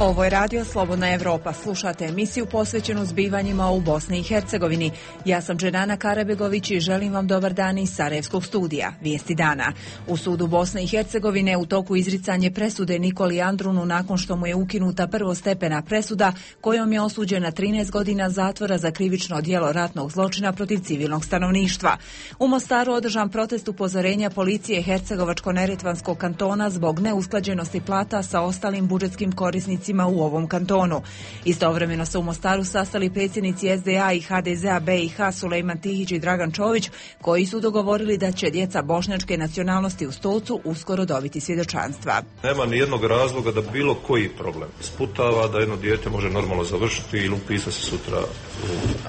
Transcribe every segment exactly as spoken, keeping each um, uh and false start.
Ovo je Radio Slobodna Evropa. Slušate emisiju posvećenu zbivanjima u Bosni i Hercegovini. Ja sam Dženana Karabegović i želim vam dobar dan iz Sarajevskog studija. Vijesti dana. U sudu Bosne i Hercegovine u toku izricanje presude Nikoli Andrunu nakon što mu je ukinuta prvostepena presuda kojom je osuđen na trinaest godina zatvora za krivično djelo ratnog zločina protiv civilnog stanovništva. U Mostaru održan protest upozorenja policije Hercegovačko-neretvanskog kantona zbog neusklađenosti plata sa ostalim budžetskim korisnicima u ovom kantonu. Istovremeno se u Mostaru sastali predsjednici S D A i H D Z-a B i H Sulejman Tihić i Dragan Čović, koji su dogovorili da će djeca bošnjačke nacionalnosti u Stolcu uskoro dobiti svjedočanstva. Nema ni jednog razloga da bilo koji problem sputava da jedno dijete može normalno završiti ili upisati se sutra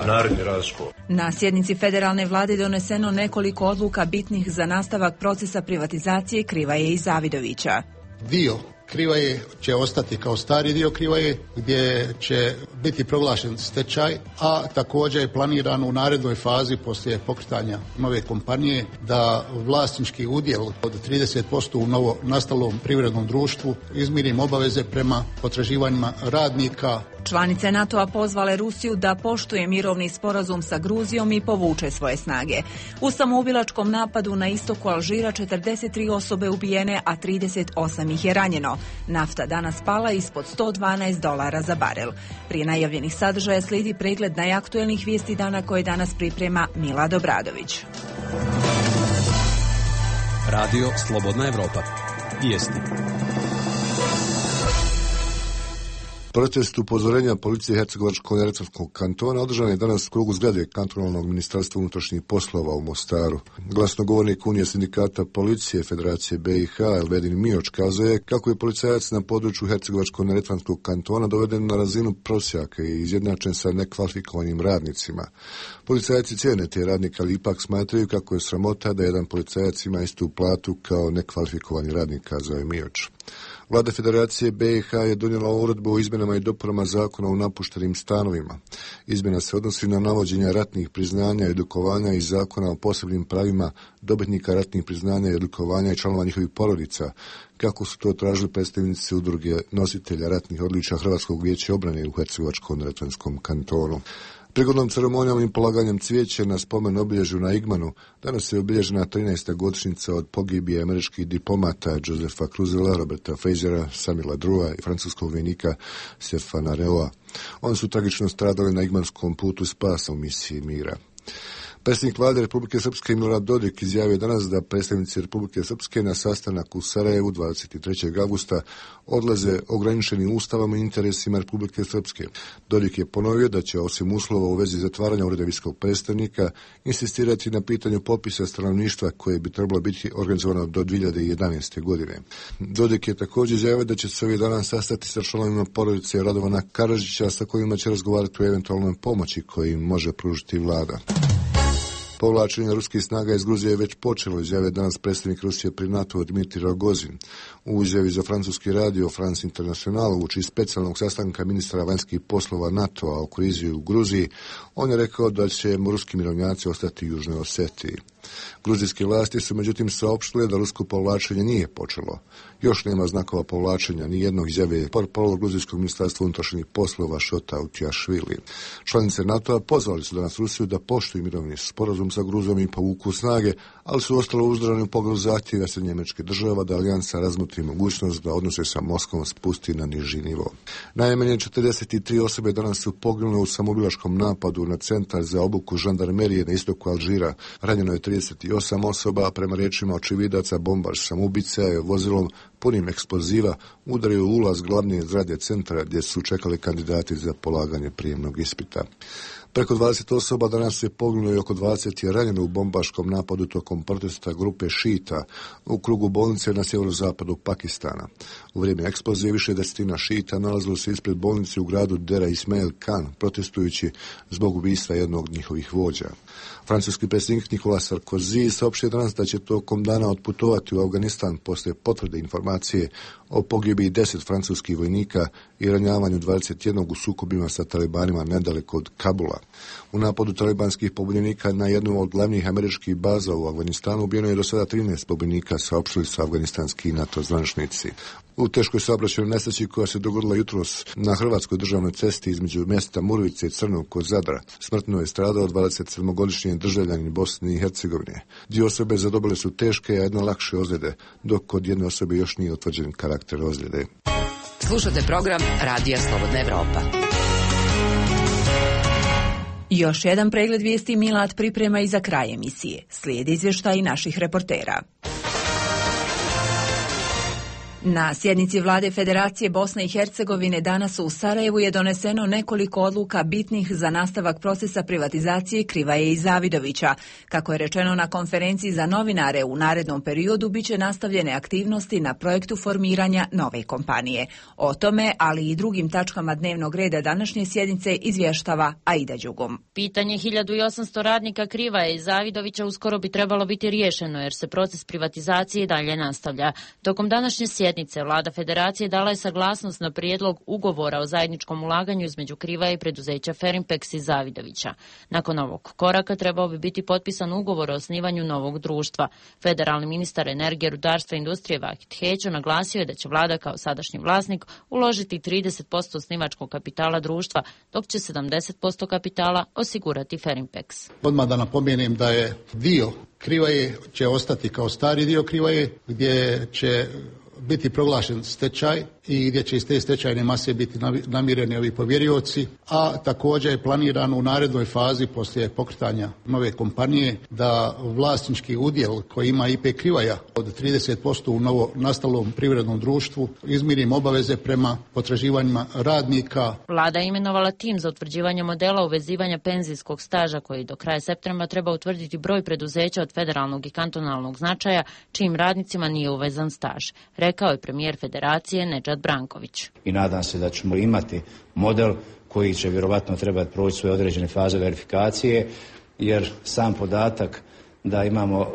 u naredni raz škole. Na sjednici federalne vlade doneseno nekoliko odluka bitnih za nastavak procesa privatizacije Krivaje i Zavidovića. Dio Krivaje će ostati kao stari dio Krivaje gdje će biti proglašen stečaj, a također je planirano u narednoj fazi poslije pokretanja nove kompanije da vlasnički udjel od trideset posto u novo nastalom privrednom društvu izmirim obaveze prema potraživanjima radnika. Članice NATO-a pozvale Rusiju da poštuje mirovni sporazum sa Gruzijom i povuče svoje snage. U samoubilačkom napadu na istoku Alžira četrdeset tri osobe ubijene, a trideset osam ih je ranjeno. Nafta danas pala ispod sto dvanaest dolara za barel. Prije najavljenih sadržaja slijedi pregled najaktuelnih vijesti dana koje danas priprema Milad Obradović. Radio Slobodna Evropa. Vijesti. Protest upozorenja policije Hercegovačko-neretvanskog kantona održan je danas u krugu zgrade kantonalnog ministarstva unutrašnjih poslova u Mostaru. Glasnogovornik Unije sindikata policije Federacije B i H Elvedin Mioč kazuje kako je policajac na području Hercegovačko-neretvanskog kantona doveden na razinu prosjaka i izjednačen sa nekvalifikovanim radnicima. Policajci cijene te radnika, ali ipak smatraju kako je sramota da jedan policajac ima istu platu kao nekvalifikovani radnik, kazao je Mioč. Vlada Federacije B i H je donijela uredbu o izmjenama i dopunama zakona o napuštenim stanovima. Izmjena se odnosi na navođenje ratnih priznanja i odlikovanja iz zakona o posebnim pravima dobitnika ratnih priznanja i odlikovanja i članova njihovih porodica, kako su to tražili predstavnici udruge nositelja ratnih odličja Hrvatskog vijeća obrane u Hercegovačko-neretvanskom kantonu. Prigodnom ceremonijom i polaganjem cvijeća na spomen obilježju na Igmanu danas je obilježena trinaesta godišnjica od pogibije američkih diplomata Josefa Cruzela, Roberta Fazera, Samila Drua i francuskog vojnika Stefana Reoa. Oni su tragično stradali na Igmanskom putu spasa u misiji mira. Predsjednik vlade Republike Srpske Milorad Dodik izjavio danas da predstavnici Republike Srpske na sastanak u Sarajevu dvadeset trećeg avgusta odlaze ograničenim ustavom i interesima Republike Srpske. Dodik je ponovio da će osim uslova u vezi zatvaranja ureda visokog predstavnika insistirati na pitanju popisa stanovništva koje bi trebalo biti organizovano do dvije hiljade jedanaeste. godine. Dodik je također izjavio da će se ovih dana sastati sa članovima porodice Radovana Karadžića sa kojima će razgovarati o eventualnoj pomoći koju im može pružiti vlada. Povlačenje ruskih snaga iz Gruzije je već počelo, izjavio danas predsjednik Rusije pri NATO Dmitrij Rogozin. U izjavi za francuski radio France International uoči specijalnog sastanka ministra vanjskih poslova NATO-a o krizi u Gruziji, on je rekao da će ruski mirovnjaci ostati u Južnoj Osetiji. Gruzijske vlasti su međutim saopštile da rusko povlačenje nije počelo. Još nema znakova povlačenja, ni jednog, izjave portparol gruzijskog ministarstva unutrašnjih poslova Šota Utijašvili. Članice NATO-a pozvali su danas Rusiju da poštuju mirovni sporazum sa Gruzijom i povuku snage, ali su ostalo uzdržani u pogledu zahtjeva Sjedinjenih Američkih Država da alijansa razmotri mogućnost da odnose sa Moskvom spusti na niži nivo. Najmanje četrdeset tri osobe danas su poginule u samoubilačkom napadu na centar za obuku žandarmerije na istoku Alžira. Ranjeno je trideset osam osoba, a prema riječima očevidaca bombaš samoubica je vozilom punim eksploziva udario u ulaz glavne zgrade centra gdje su čekali kandidati za polaganje prijemnog ispita. Preko dvadeset osoba danas je poginulo i oko dvadeset je ranjeno u bombaškom napadu tokom protesta grupe šita u krugu bolnice na sjeverozapadu Pakistana. U vrijeme eksplozije više desetina šita nalazilo se ispred bolnice u gradu Dera Ismail Khan, protestujući zbog ubistva jednog od njihovih vođa. Francuski predsjednik Nicolas Sarkozy saopštio danas da će tokom dana otputovati u Afganistan poslije potvrde informacije o pogibiji deset francuskih vojnika i ranjavanju dvadeset jednog u sukobima sa talibanima nedaleko od Kabula. U napadu talibanskih pobunjenika na jednu od glavnih američkih baza u Afganistanu ubijeno je do sada trinaest pobunjenika, saopštili su afganistanski NATO zvaničnici. u teškoj saobraćajnoj nesreći koja se dogodila jutros na hrvatskoj državnoj cesti između mjesta Murvice i Crnog kod Zadra. Smrtno je stradao dvadesetsedmogodišnji državljanin Bosne i Hercegovine. Dvije osobe zadobile su teške, a jedna lakše ozljede, dok kod jedne osobe još nije utvrđen karakter ozljede. Slušate program Radija Slobodna Evropa. Još jedan pregled vijesti Milad priprema i za kraj emisije. Slijedi izvještaj naših reportera. Na sjednici vlade Federacije Bosne i Hercegovine danas u Sarajevu je doneseno nekoliko odluka bitnih za nastavak procesa privatizacije Krivaje i Zavidovića. Kako je rečeno na konferenciji za novinare, u narednom periodu biće nastavljene aktivnosti na projektu formiranja nove kompanije. O tome, ali i drugim tačkama dnevnog reda današnje sjednice izvještava Aida Đugum. Pitanje hiljadu osamsto radnika Krivaje i Zavidovića uskoro bi trebalo biti riješeno jer se proces privatizacije dalje nastavlja. Tokom današnje sjednice Vlada Federacije dala je saglasnost na prijedlog ugovora o zajedničkom ulaganju između Krivaje i preduzeća Ferinpex i Zavidovića. Nakon ovog koraka trebao bi biti potpisan ugovor o osnivanju novog društva. Federalni ministar energije, rudarstva i industrije Vahid Heđo naglasio je da će vlada kao sadašnji vlasnik uložiti trideset posto osnivačkog kapitala društva, dok će sedamdeset posto kapitala osigurati Ferinpex. Odmah da napomenem da je dio Krivaje će ostati kao stari dio Krivaje, gdje će biti proglašen stečaj i gdje će iz te stečajne mase biti namireni ovi povjerioci, a također je planirano u narednoj fazi poslije pokretanja nove kompanije da vlasnički udjel koji ima I P Krivaja od trideset posto u novo nastalom privrednom društvu izmirim obaveze prema potraživanjima radnika. Vlada je imenovala tim za utvrđivanje modela uvezivanja penzijskog staža koji do kraja septembra treba utvrditi broj preduzeća od federalnog i kantonalnog značaja čijim radnicima nije uvezan staž, rekao je premijer Federacije Nedžad Branković. I nadam se da ćemo imati model koji će vjerovatno trebati proći svoje određene faze verifikacije, jer sam podatak da imamo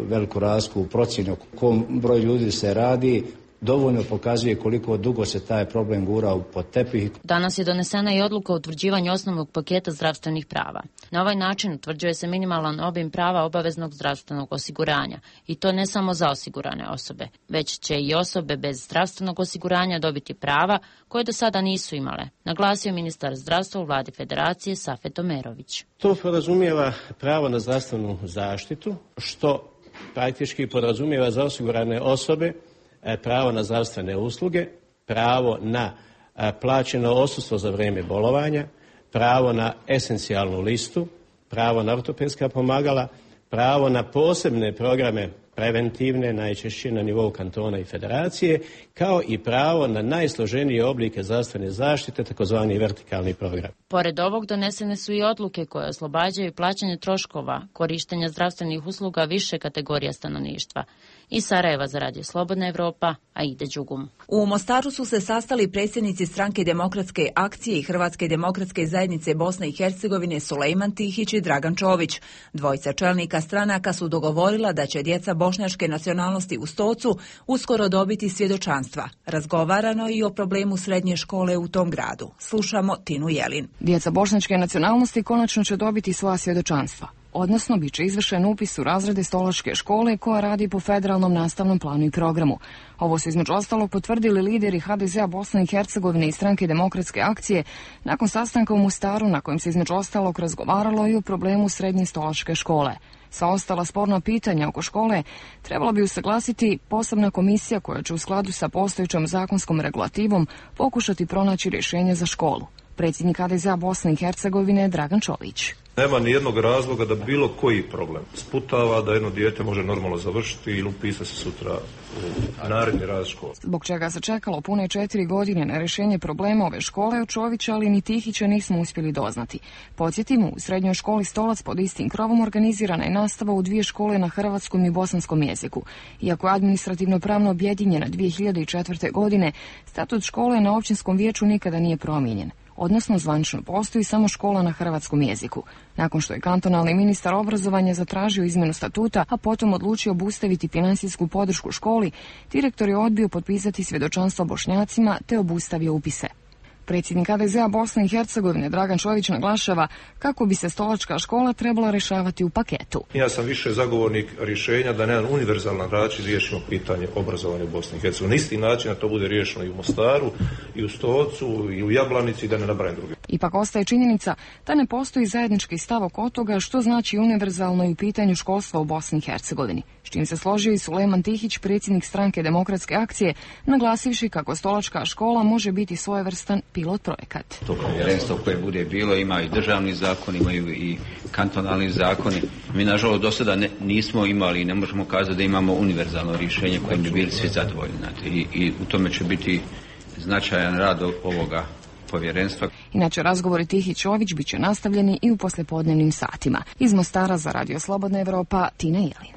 veliku razliku u procjeni o kom broju ljudi se radi dovoljno pokazuje koliko dugo se taj problem gura pod tepih. Danas je donesena i odluka o utvrđivanju osnovnog paketa zdravstvenih prava. Na ovaj način utvrđuje se minimalan obim prava obaveznog zdravstvenog osiguranja. I to ne samo za osigurane osobe, već će i osobe bez zdravstvenog osiguranja dobiti prava koje do sada nisu imale, naglasio ministar zdravstva u vladi Federacije Safet Omerović. To podrazumijeva pravo na zdravstvenu zaštitu, što praktički podrazumijeva za osigurane osobe pravo na zdravstvene usluge, pravo na plaćeno odsustvo za vrijeme bolovanja, pravo na esencijalnu listu, pravo na ortopedska pomagala, pravo na posebne programe preventivne, najčešće na nivou kantona i federacije, kao i pravo na najsloženije oblike zdravstvene zaštite, takozvani vertikalni program. Pored ovog donesene su i odluke koje oslobađaju plaćanje troškova korištenja zdravstvenih usluga više kategorija stanovništva. Iz Sarajeva za Radio Slobodna Evropa, Aida Đugum. U Mostaru su se sastali predsjednici Stranke demokratske akcije i Hrvatske demokratske zajednice Bosne i Hercegovine Sulejman Tihić i Dragan Čović. Dvojica čelnika stranaka su dogovorila da će djeca bošnjačke nacionalnosti u Stocu uskoro dobiti svjedočanstva. Razgovarano i o problemu srednje škole u tom gradu. Slušamo Tinu Jelin. Djeca bošnjačke nacionalnosti konačno će dobiti svoja svjedočanstva. Odnosno, bit će izvršen upis u razrede Stolačke škole koja radi po federalnom nastavnom planu i programu. Ovo su između ostalog potvrdili lideri H D Z-a Bosne i Hercegovine i Stranke demokratske akcije nakon sastanka u Mostaru na kojem se između ostalog razgovaralo i o problemu srednje Stolačke škole. Sva ostala sporna pitanja oko škole trebala bi usaglasiti posebna komisija koja će u skladu sa postojećom zakonskom regulativom pokušati pronaći rješenje za školu. Predsjednik H D Z-a Bosne i Hercegovine Dragan Čović. Nema ni jednog razloga da bilo koji problem sputava da jedno dijete može normalno završiti ili upisati se sutra u naredni raz škole. Zbog čega se čekalo pune četiri godine na rješenje problema ove škole, od Čovića ali ni Tihića nismo uspjeli doznati. Podsjetimo, u srednjoj školi Stolac pod istim krovom organizirana je nastava u dvije škole na hrvatskom i bosanskom jeziku. Iako je administrativno pravno objedinjena dvije hiljade četvrte. godine, statut škole na općinskom vijeću nikada nije promijenjen. Odnosno, zvanično postoji samo škola na hrvatskom jeziku. Nakon što je kantonalni ministar obrazovanja zatražio izmjenu statuta, a potom odlučio obustaviti financijsku podršku školi, direktor je odbio potpisati svjedočanstvo Bošnjacima te obustavio upise. Predsjednik H D Z-a Bosne i Hercegovine Dragan Čović naglašava kako bi se stolačka škola trebala rješavati u paketu. Ja sam više zagovornik rješenja da na jedan univerzalan način riješimo pitanje obrazovanja u Bosni i Hercegovini. Na isti način da to bude riješeno i u Mostaru, i u Stocu, i u Jablanici, i da ne nabrajam druge. Ipak ostaje činjenica da ne postoji zajednički stav oko toga što znači univerzalno i u pitanju školstva u Bosni i Hercegovini. S čim se složio i Sulejman Tihić, predsjednik stranke Demokratske akcije, naglasivši kako stolačka škola može biti svojevrstan pilot projekat. To povjerenstvo koje bude bilo ima i državni zakon, imaju i kantonalni zakoni. Mi nažalost do sada ne, nismo imali i ne možemo kazati da imamo univerzalno rješenje kojim bi bili svi zadovoljni. I, i u tome će biti značajan rad ovoga povjerenstva. Inače, razgovori Tihić Čović bit će nastavljeni i u poslijepodnevnim satima. Iz Mostara za Radio Slobodna Evropa, Tina Jelin.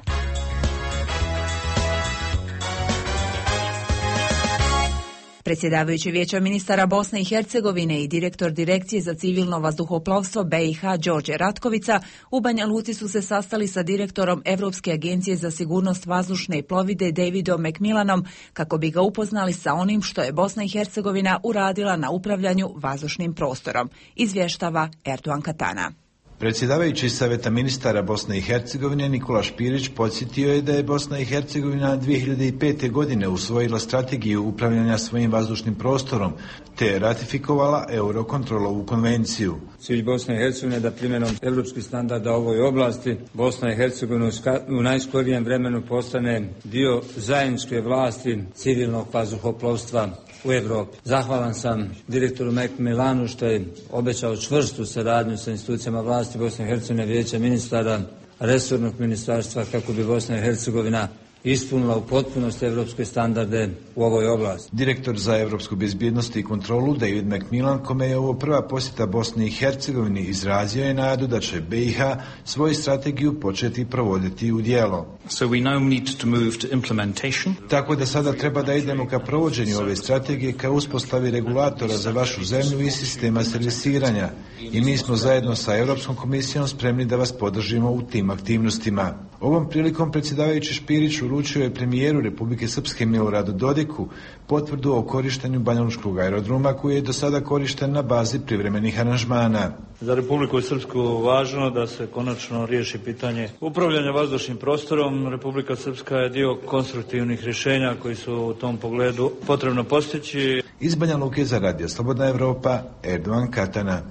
Predsjedavajući Vijeća ministara Bosne i Hercegovine i direktor Direkcije za civilno vazduhoplovstvo B i H Đorđe Ratkovica u Banja Luci su se sastali sa direktorom Europske agencije za sigurnost vazdušne plovide Davidom McMillanom kako bi ga upoznali sa onim što je Bosna i Hercegovina uradila na upravljanju vazdušnim prostorom, izvještava Erdogan Katana. Predsjedavajući Saveta ministara Bosne i Hercegovine Nikola Špirić podsjetio je da je Bosna i Hercegovina dvije hiljade pete. godine usvojila strategiju upravljanja svojim vazdušnim prostorom te ratifikovala Eurokontrolovu konvenciju. Cilj Bosne i Hercegovine da primjenom evropskih standarda u ovoj oblasti Bosna i Hercegovina u najskorijem vremenu postane dio zajedničke vlasti civilnog vazduhoplovstva u Evropi. Zahvalan sam direktoru McMillanu što je obećao čvrstu saradnju sa institucijama vlasti Bosne i Hercegovine, Vijeća ministara, resornog ministarstva kako bi Bosna i Hercegovina ispunila u potpunosti evropske standarde u ovoj oblasti. Direktor za evropsku bezbjednost i kontrolu David McMillan, kome je ovo prva posjeta Bosni i Hercegovini, izrazio je nadu da će B i H svoju strategiju početi provoditi u djelo. So we now need to move to implementation. Tako da sada treba da idemo ka provođenju ove strategije, ka uspostavi regulatora za vašu zemlju i sistema servisiranja. I mi smo zajedno sa Europskom komisijom spremni da vas podržimo u tim aktivnostima. Ovom prilikom predsjedavajući Špirić uručio je premijeru Republike Srpske Miloradu Dodiku potvrdu o korištenju banjalučkog aerodroma koji je do sada korišten na bazi privremenih aranžmana. Za Republiku Srpsku važno da se konačno riješi pitanje upravljanja vazdušnim prostorom. Republika Srpska je dio konstruktivnih rješenja koji su u tom pogledu potrebno postići. Iz Banja Luke za Radio Slobodna Evropa, Erdogan Katana.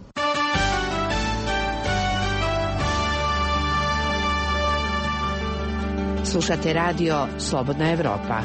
Slušate radio Slobodna Evropa.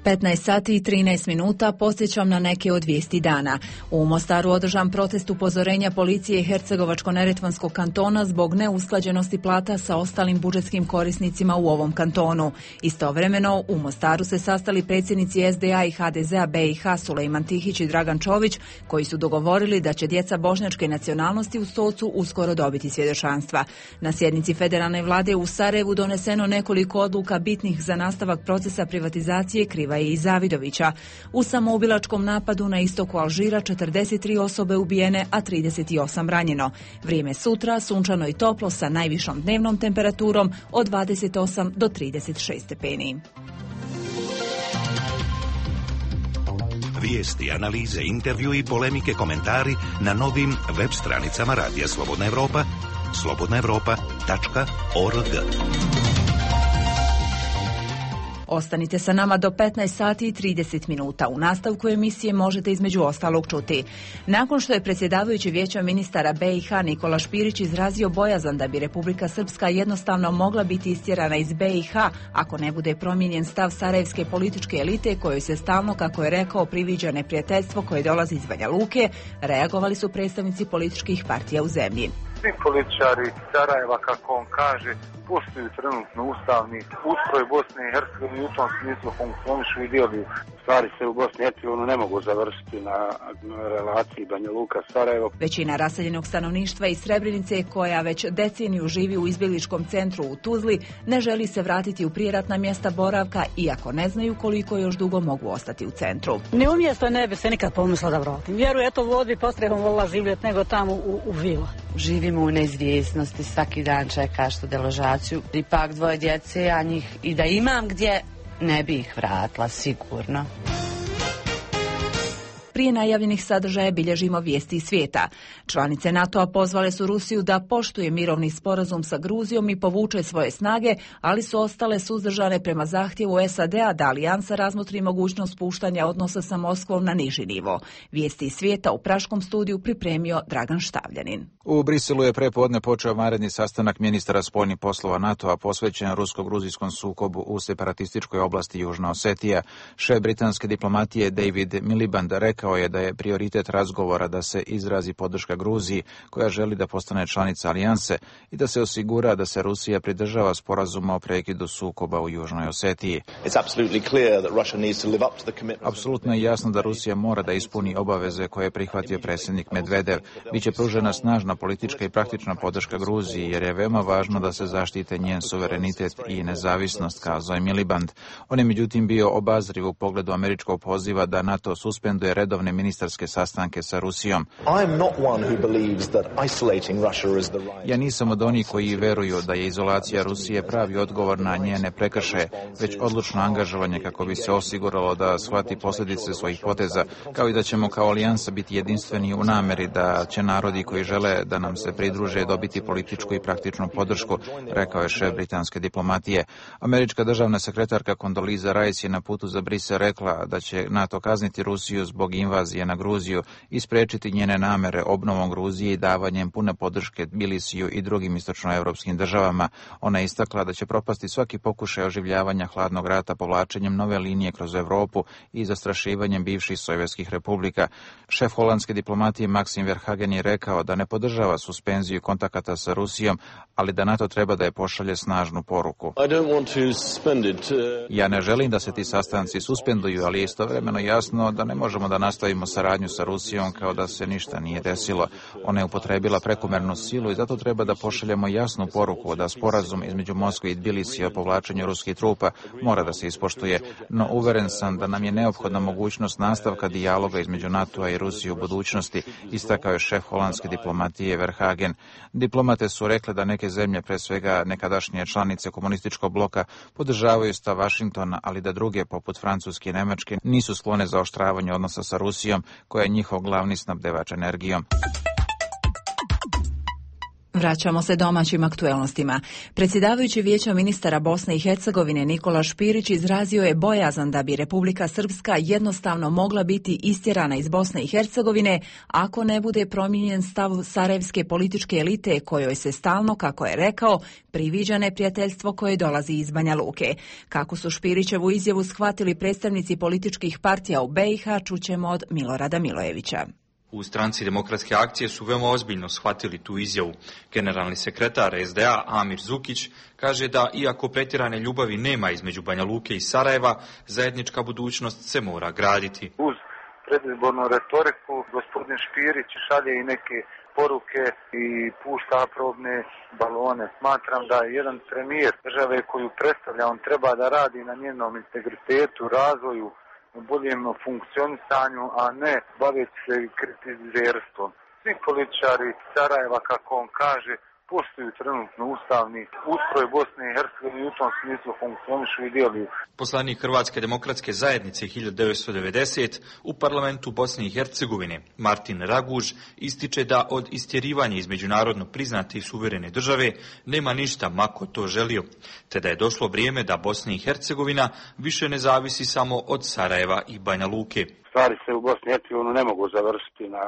petnaest sati i trinaest minuta, podsjećam na neke od vijesti dana. U Mostaru održan protest upozorenja policije Hercegovačko-neretvanskog kantona zbog neusklađenosti plata sa ostalim budžetskim korisnicima u ovom kantonu. Istovremeno, u Mostaru se sastali predsjednici S D A i H D Z-a B i H Sulejman Tihić i Dragan Čović, koji su dogovorili da će djeca bošnjačke nacionalnosti u Stocu uskoro dobiti svjedočanstva. Na sjednici federalne vlade u Sarajevu doneseno nekoliko odluka bitnih za nastavak procesa privatizacije Krivaje i Zavidovića. U samoubilačkom napadu na istoku Alžira četrdeset tri osobe ubijene, a trideset osam ranjeno. Vrijeme sutra sunčano i toplo sa najvišom dnevnom temperaturom od dvadeset osam do trideset šest stepeni. Vijesti, analize, intervju i polemike, komentari na novim web stranicama Radija Slobodna Evropa, slobodna evropa tačka org. Ostanite sa nama do petnaest sati i trideset minuta. U nastavku emisije možete između ostalog čuti. Nakon što je predsjedavajući Vijeća ministara B i H Nikola Špirić izrazio bojazan da bi Republika Srpska jednostavno mogla biti istjerana iz B i H ako ne bude promijenjen stav sarajevske političke elite kojoj se stalno, kako je rekao, priviđa neprijateljstvo koje dolazi iz Banja Luke, reagovali su predstavnici političkih partija u zemlji. Svi političari Sarajeva, kako on kaže, poštuju trenutno ustavni ustroj Bosne i Hercegovine, u tom smislu funkcionišu i djeluju. Stvari se u Bosni i Hercegovini ne mogu završiti na relaciji Banja Luka-Sarajevo. Većina raseljenog stanovništva iz Srebrenice, koja već deceniju živi u izbjegličkom centru u Tuzli, ne želi se vratiti u prijeratna mjesta boravka, iako ne znaju koliko još dugo mogu ostati u centru. Ne umjesto ne bi se nikad pomislila da vratim. Vjerujem, eto vodi postrehom volila živjeti nego tamo u, u vila. Živimo u neizvjesnosti, svaki dan čekaš tu deložaciju. Ipak dvoje djece, a njih i da imam gdje, ne bi ih vratila sigurno. Prije najavljenih sadržaja bilježimo vijesti iz svijeta. Članice NATO-a pozvale su Rusiju da poštuje mirovni sporazum sa Gruzijom i povuče svoje snage, ali su ostale suzdržane prema zahtjevu S A D-a da alijansa razmotri mogućnost spuštanja odnosa sa Moskvom na niži nivo. Vijesti iz svijeta u praškom studiju pripremio Dragan Štavljanin. U Briselu je prepodne počeo vanredni sastanak ministara spoljnih poslova NATO-a posvećen rusko-gruzijskom sukobu u separatističkoj oblasti Južna Osetija. Šef britanske diplomatije David Miliband rekao je da je prioritet razgovora da se izrazi podrška Gruziji, koja želi da postane članica alijanse, i da se osigura da se Rusija pridržava sporazuma o prekidu sukoba u Južnoj Osetiji. Apsolutno je jasno da Rusija mora da ispuni obaveze koje je prihvatio predsjednik Medvedev. Biće pružena snažna politička i praktična podrška Gruziji, jer je veoma važno da se zaštite njen suverenitet i nezavisnost, kazao je Miliband. On je međutim bio obazriv u pogledu američkog poziva da NATO suspenduje redovne ministarske sastanke sa Rusijom. Ja nisam od onih koji veruju da je izolacija Rusije pravi odgovor na njene prekršaje, već odlučno angažovanje kako bi se osiguralo da shvati posljedice svojih poteza, kao i da ćemo kao alijansa biti jedinstveni u nameri da će narodi koji žele da nam se pridruže dobiti političku i praktičnu podršku, rekao je šef britanske diplomatije. Američka državna sekretarka Condoleezza Rice je na putu za Brisel rekla da će NATO kazniti Rusiju zbog invazije na Gruziju i spriječiti njene namere obnovom Gruzije i davanjem pune podrške Tbilisiju i drugim istočnoevropskim državama. Ona je istakla da će propasti svaki pokušaj oživljavanja hladnog rata povlačenjem nove linije kroz Europu i zastrašivanjem bivših sovjetskih republika. Šef holandske diplomatije Maxim Verhagen je rekao da ne podržava suspenziju kontakata sa Rusijom, ali da NATO treba da je pošalje snažnu poruku. Ja ne želim da se ti sastanci suspenduju, ali je istovremeno jasno da ne možemo da nastavimo saradnju sa Rusijom kao da se ništa nije desilo. Ona je upotrebila prekomernu silu i zato treba da pošaljemo jasnu poruku da sporazum između Moskve i Tbilisija o povlačenju ruskih trupa mora da se ispoštuje, no uveren sam da nam je neophodna mogućnost nastavka dijaloga između NATO-a i Rusije u budućnosti, istakao je šef holandske diplomatije Verhagen. Diplomate su rekle da neke zemlje, pre svega nekadašnje članice komunističkog bloka, podržavaju stav Vašingtona, ali da druge, poput Francuske i Nemačke, nisu sklone za oštravanje odnosa sa Rusijom, koja je njihov glavni snabdevač energijom. Vraćamo se domaćim aktuelnostima. Predsjedavajući Vijeća ministara Bosne i Hercegovine Nikola Špirić izrazio je bojazan da bi Republika Srpska jednostavno mogla biti istjerana iz Bosne i Hercegovine ako ne bude promijenjen stav sarajevske političke elite kojoj se stalno, kako je rekao, priviđa neprijateljstvo koje dolazi iz Banja Luke. Kako su Špirićevu izjavu shvatili predstavnici političkih partija u B i H, čućemo od Milorada Milojevića. U stranci Demokratske akcije su veoma ozbiljno shvatili tu izjavu. Generalni sekretar S D A Amir Zukić kaže da iako pretjerane ljubavi nema između Banja Luke i Sarajeva, zajednička budućnost se mora graditi. Uz predizbornu retoriku gospodin Špirić šalje i neke poruke i pušta probne balone. Smatram da jedan premijer države koju predstavlja, on treba da radi na njenom integritetu, razvoju, boljem funkcionisanju, a ne baviti se kritizerstvom. Svi političari Sarajeva, kako on kaže, poštuju trenutno ustavni ustroj Bosne i Hercegovine i u tom smislu funkcionišu i djeluju. Poslanik Hrvatske demokratske zajednice hiljadu devetsto devedeset u parlamentu Bosne i Hercegovine Martin Raguž ističe da od istjerivanja iz međunarodno priznate i suverene države nema ništa mako to želio, te da je došlo vrijeme da Bosna i Hercegovina više ne zavisi samo od Sarajeva i Banja Luke. Stvari se u Bosni i Hercegovini ne mogu završiti na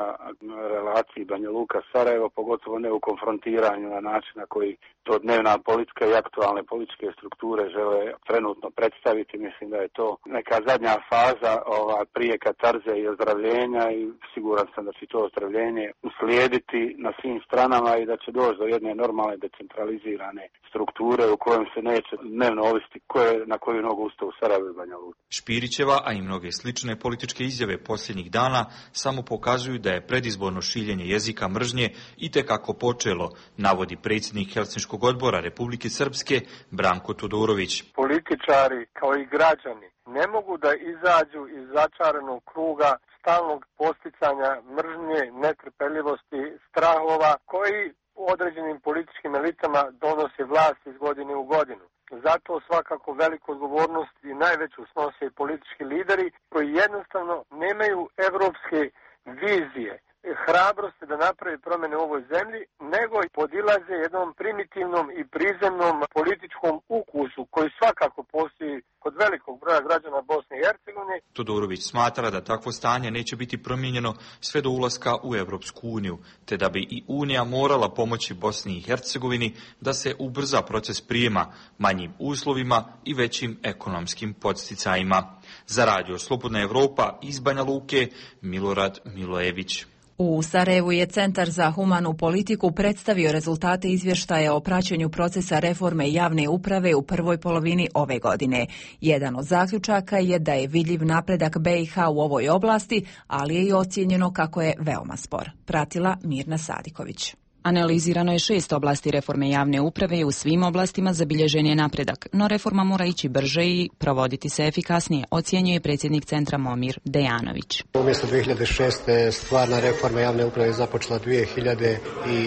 relaciji Banja Luka-Sarajevo, pogotovo ne u konfrontiranju na način na koji to dnevna politika i aktualne političke strukture žele trenutno predstaviti. Mislim da je to neka zadnja faza ova, prije katarze i ozdravljenja i siguran sam da će to ozdravljenje uslijediti na svim stranama i da će doći do jedne normalne decentralizirane strukture u kojem se neće dnevno ovisiti koje, na koju nogu ustao u Sarajevo i Banja Luka. Špirićeva, a i mnoge slične političke izjave posljednjih dana samo pokazuju da je predizborno šiljenje jezika mržnje itekako počelo, navodi predsjednik Helsinškog odbora Republike Srpske Branko Todorović. Političari kao i građani ne mogu da izađu iz začaranog kruga stalnog posticanja mržnje, netrpeljivosti, strahova koji u određenim političkim elitama donose vlast iz godine u godinu. Zato svakako veliku odgovornost i najveću snose politički lideri koji jednostavno nemaju evropske vizije, hrabrosti da napravi promjene u ovoj zemlji, nego i podilaze jednom primitivnom i prizemnom političkom ukusu koji svakako postoji kod velikog broja građana Bosne i Hercegovine. Todorović smatra da takvo stanje neće biti promijenjeno sve do ulaska u Evropsku uniju, te da bi i Unija morala pomoći Bosni i Hercegovini da se ubrza proces prijema manjim uslovima i većim ekonomskim podsticajima. Za Radio Slobodna Evropa iz Banja Luke, Milorad Milojević. U Sarajevu je Centar za humanu politiku predstavio rezultate izvještaja o praćenju procesa reforme javne uprave u prvoj polovini ove godine. Jedan od zaključaka je da je vidljiv napredak B i H u ovoj oblasti, ali je i ocijenjeno kako je veoma spor. Pratila Mirna Sadiković. Analizirano je šest oblasti reforme javne uprave i u svim oblastima zabilježen je napredak, no reforma mora ići brže i provoditi se efikasnije, ocjenjuje predsjednik centra Momir Dejanović. Umjesto dvije hiljade šeste. stvarna reforma javne uprave je započela dvije hiljade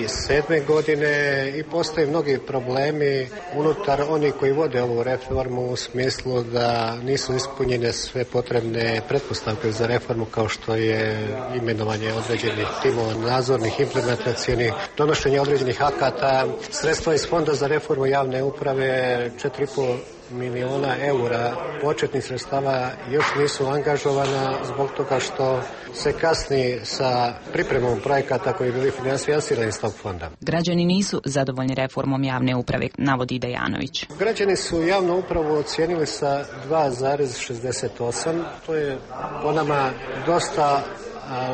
sedme. godine i postoje mnogi problemi unutar onih koji vode ovu reformu u smislu da nisu ispunjene sve potrebne pretpostavke za reformu kao što je imenovanje određenih timova nadzornih, implementacionih, donošenje određenih akata, sredstva iz Fonda za reformu javne uprave četiri i pol miliona eura početnih sredstava još nisu angažovana zbog toga što se kasni sa pripremom projekata koji bili finansirani iz tog fonda. Građani nisu zadovoljni reformom javne uprave, navodi Dejanović. Građani su javnu upravu ocijenili sa dva zarez šezdeset osam. To je po nama dosta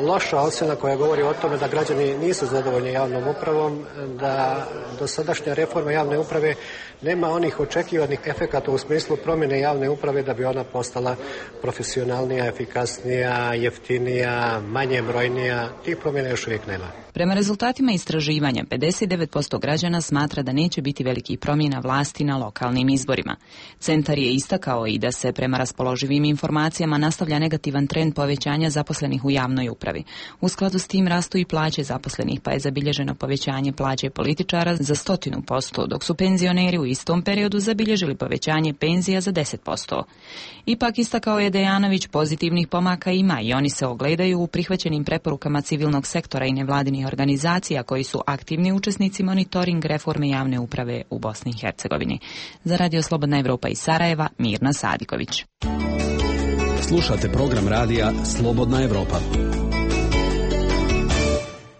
loša ocjena koja govori o tome da građani nisu zadovoljni javnom upravom, da dosadašnja reforma javne uprave nema onih očekivanih efekata u smislu promjene javne uprave da bi ona postala profesionalnija, efikasnija, jeftinija, manje brojnija. Tih promjena još uvijek nema. Prema rezultatima istraživanja, pedeset devet posto građana smatra da neće biti velikih promjena vlasti na lokalnim izborima. Centar je istakao i da se prema raspoloživim informacijama nastavlja negativan trend povećanja zaposlenih u javnoj upravi. U skladu s tim rastu i plaće zaposlenih, pa je zabilježeno povećanje plaće političara za stotinu posto, dok su penzioneri u istom periodu zabilježili povećanje penzija za deset posto. Ipak, istakao je Dejanović, pozitivnih pomaka ima i oni se ogledaju u prihvaćenim preporukama civilnog sektora i nevladinih organizacija koji su aktivni učesnici monitoring reforme javne uprave u Bosni i Hercegovini. Za Radio Slobodna Evropa iz Sarajeva, Mirna Sadiković. Slušate program radija Slobodna Evropa.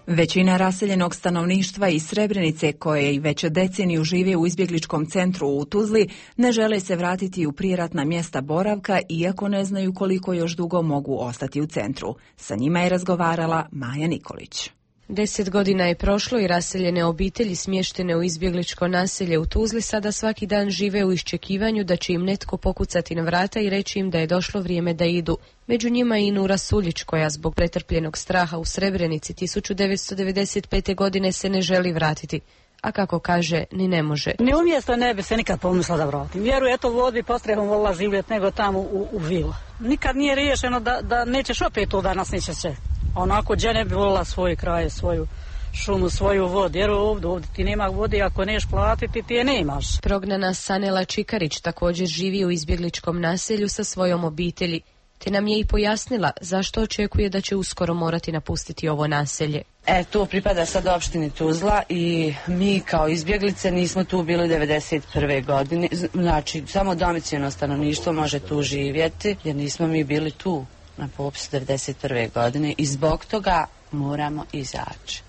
Većina raseljenog stanovništva iz Srebrenice, koje i već deceniju žive u izbjegličkom centru u Tuzli, ne žele se vratiti u prijeratna mjesta boravka, iako ne znaju koliko još dugo mogu ostati u centru. Sa njima je razgovarala Maja Nikolić. Deset godina je prošlo i raseljene obitelji smještene u izbjegličko naselje u Tuzli sada svaki dan žive u iščekivanju da će im netko pokucati na vrata i reći im da je došlo vrijeme da idu. Među njima i Nura Suljić, koja zbog pretrpljenog straha u Srebrenici tisuću devetsto devedeset pete. godine se ne želi vratiti. A kako kaže, ni ne može. Ni umjesto ne bi se nikad pomislila da vratim. Vjerujem, eto vodi postrehom volila živjeti nego tamo u, u vilu. Nikad nije riješeno da, da nećeš opet to danas neće se. Onako, gdje ne bi volila svoj kraj, svoju šumu, svoju vodu, jer ovdje, ovdje ti nema vode, ako neš platiti, ti je nemaš. Prognana Sanela Čikarić također živi u izbjegličkom naselju sa svojom obitelji, te nam je i pojasnila zašto očekuje da će uskoro morati napustiti ovo naselje. E, to pripada sad opštini Tuzla i mi kao izbjeglice nismo tu bili devedeset prve. godine, znači samo domicilno stanovništvo može tu živjeti, jer nismo mi bili tu na popisu devedeset prve. godine i zbog toga moramo izaći.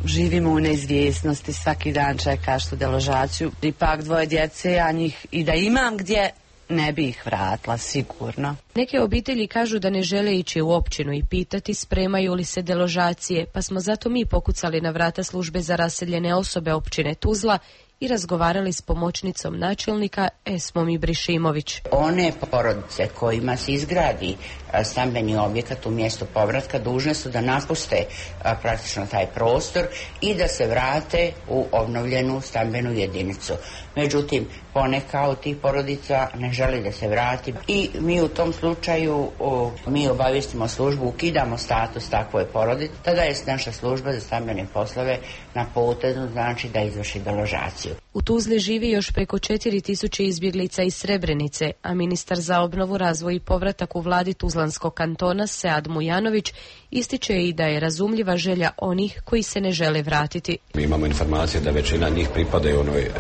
Živimo u neizvjesnosti, svaki dan čekaš tu deložaciju. Ipak dvoje djece, a njih i da imam gdje, ne bi ih vratila, sigurno. Neke obitelji kažu da ne žele ići u općinu i pitati spremaju li se deložacije, pa smo zato mi pokucali na vrata službe za raseljene osobe općine Tuzla i razgovarali s pomoćnicom načelnika Esmom Ibrišimović. One porodice kojima se izgradi stambeni objekat u mjestu povratka dužne su da napuste a, praktično taj prostor i da se vrate u obnovljenu stambenu jedinicu. Međutim, poneka od tih porodica ne želi da se vrati i mi u tom slučaju o, mi obavijestimo službu, ukidamo status takvoj porodici, tada je naša služba za stambene poslove na potezu, znači da izvrši deložaciju. U Tuzli živi još preko četiri tisuće izbjeglica iz Srebrenice, a ministar za obnovu, razvoj i povratak u vladi Tuzlanskog kantona Sead Mujanović ističe i da je razumljiva želja onih koji se ne žele vratiti. Mi imamo informacije da većina njih pripadaju onoj e,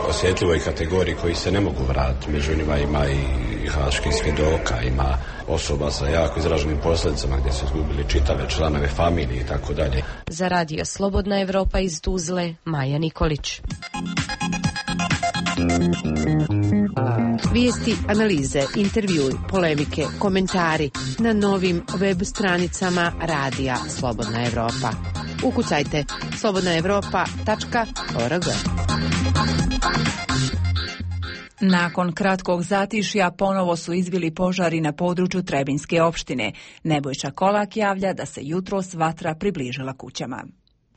osjetljivoj kategoriji koji se ne mogu vratiti. Među njima ima i haških svjedoka, ima osoba sa jako izraženim posljedicama gdje su izgubili čitave članove familije i tako dalje. Za Radio Slobodna Evropa iz Tuzle, Maja Nikolić. Vijesti, analize, intervjui, polemike, komentari na novim web stranicama Radija Slobodna Evropa. Ukucajte slobodna evropa tačka org. Nakon kratkog zatišja ponovo su izbili požari na području Trebinjske opštine. Nebojša Kolak javlja da se jutros vatra približila kućama.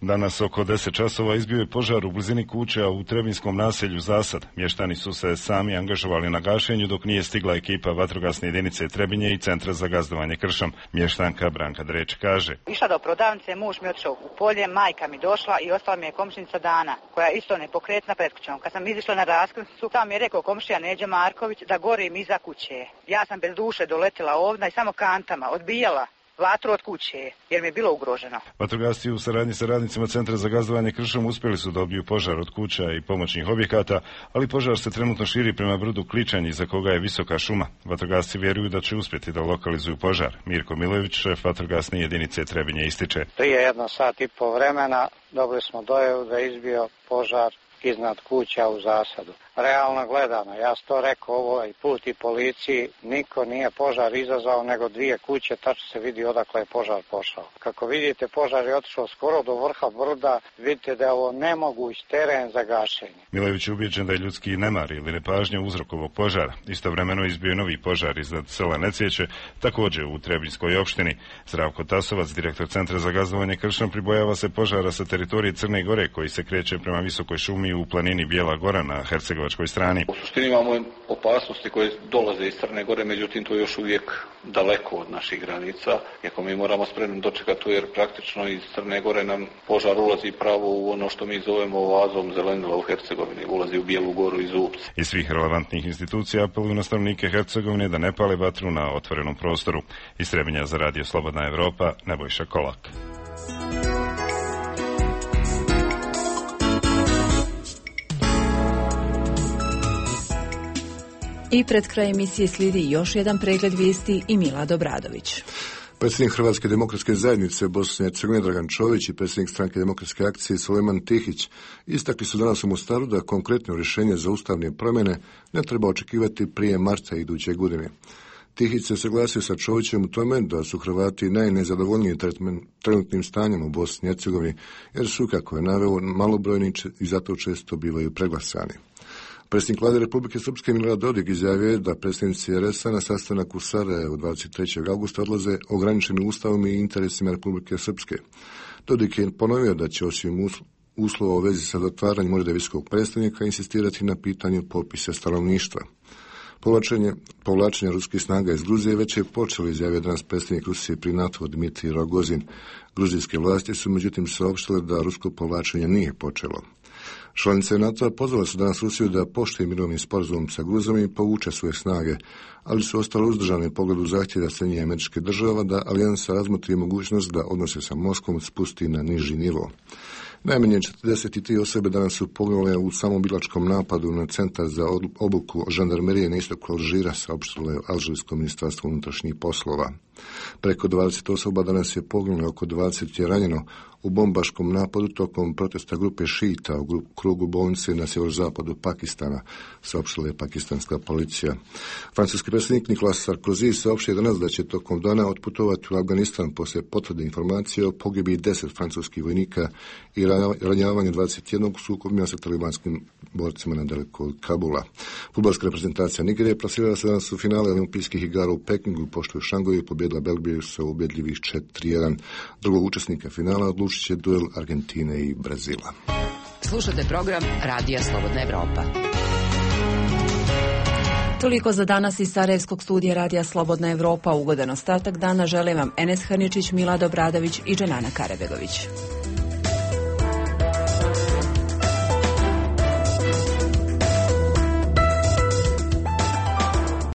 Danas oko deset časova izbio je požar u blizini kuća u Trebinskom naselju Zasad. Mještani su se sami angažovali na gašenju dok nije stigla ekipa vatrogasne jedinice Trebinje i Centra za gazdovanje kršom. Mještanka Branka Dreć kaže: Išla do prodavnice, muž mi otišao u polje, majka mi došla i ostala mi je komšinica Dana, koja je isto nepokretna pred kućom. Kad sam izišla na raskrsnicu, tam mi je rekao komšija Neđa Marković da gorim iza kuće. Ja sam bez duše doletila ovdje i samo kantama odbijala vatru od kuće, jer mi je bilo ugroženo. Vatrogasci u saradnji sa radnicima Centra za gazdovanje kršom uspjeli su da odbiju požar od kuća i pomoćnih objekata, ali požar se trenutno širi prema brdu Kličanj, iza koga je visoka šuma. Vatrogasci vjeruju da će uspjeti da lokalizuju požar. Mirko Milojević, šef vatrogasne jedinice Trebinje, ističe: Prije jedno sat i po vremena dobili smo dojavu da je izbio požar iznad kuća u Zasadu. Realno gledano, ja sam to rekao ovaj put i policiji, niko nije požar izazvao nego dvije kuće, tačno se vidi odakle je požar pošao. Kako vidite, požar je otišao skoro do vrha brda, vidite da je ovo nemoguć teren za gašenje. Milojević je ubijeđen da je ljudski nemar ili nepažnja uzrok ovog požara. Istovremeno izbio novi požar iznad sela Necjeće, također u Trebinjskoj opštini. Zdravko Tasovac, direktor Centra za gazdovanje kršom, pribojava se požara sa teritorije Crne Gore koji se kreće prema visokoj šumi u planini Bijela Gora na hercegovačkoj strani. U suštini imamo opasnosti koje dolaze iz Crne Gore, međutim to je još uvijek daleko od naših granica. Iako mi moramo spremno dočekati to, jer praktično iz Crne Gore nam požar ulazi pravo u ono što mi zovemo oazom zelenila u Hercegovini, ulazi u Bijelu Goru i Zubce. Iz svih relevantnih institucija apeluju na stanovnike Hercegovine da ne pale vatru na otvorenom prostoru. Iz Trebinja za Radio Slobodna Evropa, Nebojša Kolak. I pred kraj emisije slijedi još jedan pregled vijesti i Milad Obradović. Predsjednik Hrvatske demokratske zajednice Bosne i Hercegovine Dragan Čović i predsjednik Stranke demokratske akcije Sulejman Tihić istakli su danas u Mostaru da konkretno rješenje za ustavne promjene ne treba očekivati prije marta iduće godine. Tihić se saglasio sa Čovićem u tome da su Hrvati najnezadovoljniji trenutnim stanjem u Bosni i Hercegovini, jer su, kako je naveo, malobrojni i zato često bivaju preglasani. Predsjednik vlade Republike Srpske Milorad Dodik izjavio je da predstavnici er es a na sastanak u Sarajevu dvadeset trećeg augusta odlaze ograničeni ustavom i interesima Republike Srpske. Dodik je ponovio da će osim uslova u vezi sa zatvaranjem ureda visokog predstavnika insistirati na pitanju popisa stanovništva. Povlačenje, povlačenje ruskih snaga iz Gruzije već je počelo, izjavio danas predsjednik Rusije pri NATO Dmitrij Rogozin. Gruzijske vlasti su međutim saopštile da rusko povlačenje nije počelo. Članice NATO-a pozvale su danas Rusiju da poštuje mirovni sporazum sa Gruzijom i povuče svoje snage, ali su ostale uzdržane u pogledu zahtjeva Sjedinjenih Američkih Država da alijansa razmotri mogućnost da odnose sa Moskvom spusti na niži nivo. Najmanje četrdeset tri osobe danas su poginule u samobilačkom napadu na centar za obuku žandarmerije na istoku Alžira, saopštilo je Alžirsko ministarstvo unutrašnjih poslova. Preko dvadeset osoba danas je poginulo, oko dvadeset je ranjeno u bombaškom napadu tokom protesta grupe šita u krugu bolnice na sjeverozapadu Pakistana, saopštila je pakistanska policija. Francuski predsjednik Nicolas Sarkozy saopštio danas da će tokom dana otputovati u Afganistan poslije potvrde informacije o pogibiji deset francuskih vojnika i ranjavanju dvadeset jednog sukobima sa talibanskim borcima nedaleko od Kabula. Fudbalska reprezentacija Nigerije plasirala se danas u finale olimpijskih igara u Pekingu, pošto je u Šangoju pobjedila Belgiju sa ubjedljivih četiri jedan. Drugog učesnika finala odlučit će duel Argentine i Brazila. Slušate program Radija Slobodna Evropa. Toliko za danas iz Sarajevskog studija Radija Slobodna Evropa. Ugodan ostatak dana želim vam Enes Hrničić, Milad Obradović i Dženana Karabegović.